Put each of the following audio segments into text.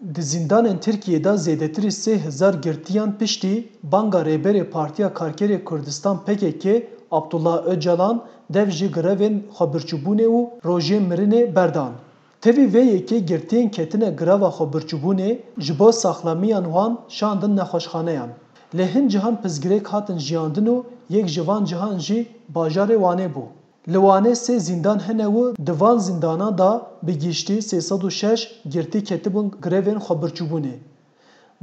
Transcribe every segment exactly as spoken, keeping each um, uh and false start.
Di zîndanên Tirkiyê de zêdetirî sê hezar girtiyan piştî banga Rêberê Partiya Karkerê Kurdistan P K K Abdullah Ocalan dev ji grevên xwebirçîbûnê û rojên mirinê berdan. Tevî vê yekê girtiyên ketine greva xwebirçîbûnê ji bo saxlemiyan wan şandin nexweşxaneyan. Lê hin cihan pirsgirêk hatin jiyandin û yek ji van cihan jî bajarê Wanê bû. Li Wanê sê zîndan hene û di van zîndana de bi giştî sê sed û şeş girtî ketibûn grevên xwebirçîbûnê.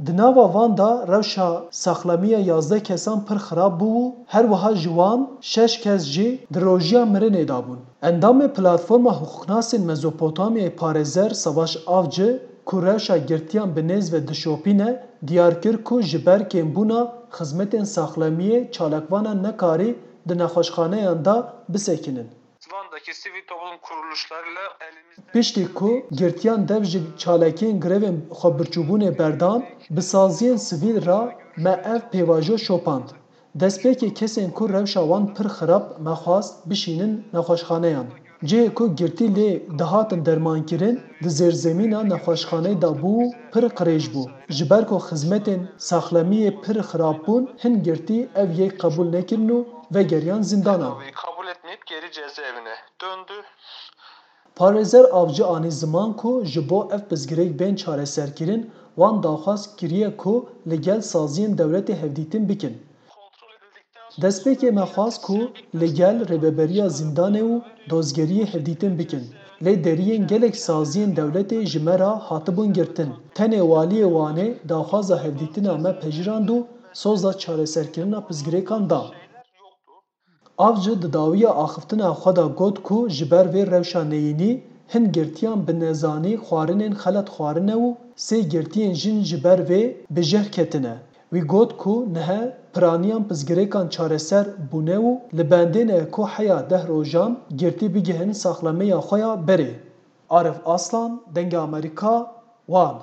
Di nava van de rewşa saxlemiya yazdeh kesan pir xirab bû û her wiha ji wan şeş kes jî di rojiya mirinê de bûn. Endamê Platforma Hiqûqnasên Mezopotamyayê Parêzer Savaş Avcı, ku rewşa girtiyan bi nêz ve dişopîne, diyar kir ku ji ber kêmbûna xizmetên saxlemiyê çalakvanan nekarî di nexweşxaneyan de bisekinin. Van'daki sivil toplum kuruluşlarıyla elimizde Piştî ku girtiyan dev ji çalakiyên grevên xwebirçîbûnê berdan, bi saziyên sivîl re me ev pêvajo şopand. Destpêkê kesên ku rewşa wan pir xirab me xwest bişînin nexweşxaneyan. Cihê ku girtî lê dihatin dermankirin, di zêrzemîna nexweşxaneyê de bû û pir qirêj bû. Ji ber ku xizmetên saxlemiyê pir xirab bûn, hin girtî ev yek qebûl nekirin û vegeriyan zîndanan. Kabul etmeyip geri cezaevine döndü. Parêzer Avcı anî ziman ku ji bo ev pirsgirêk bên çareserkirin, wan daxwaz kiriye ku li gel saziyên dewletê hevdîtin bikin. Destpêkê me xwest ku li gel rêveberiya zîndanê û dozgeriyê hevdîtin bikin. Lê deriyên gelek saziyên dewletê ji me re hatibûn girtin. Tenê waliyê Wanê daxwaza hevdîtina me pejirand û soza çareserkirina pirsgirêkan da. Avcı di dawiya axiftina xwe de got ku ji ber vê rewşa neyînî hin girtiyan bi nezanî xwarinên xelet xwarine û sê girtiyên jin ji ber vê bi jeh ketine. Wî got ku nihe piraniyan pirsgirêkan çareser bûne û li bendê ne ku heya deh rojan girtî bigihin saxlemeya xwe ya berê. Arif Aslan, Dengê Amerîka, Wan.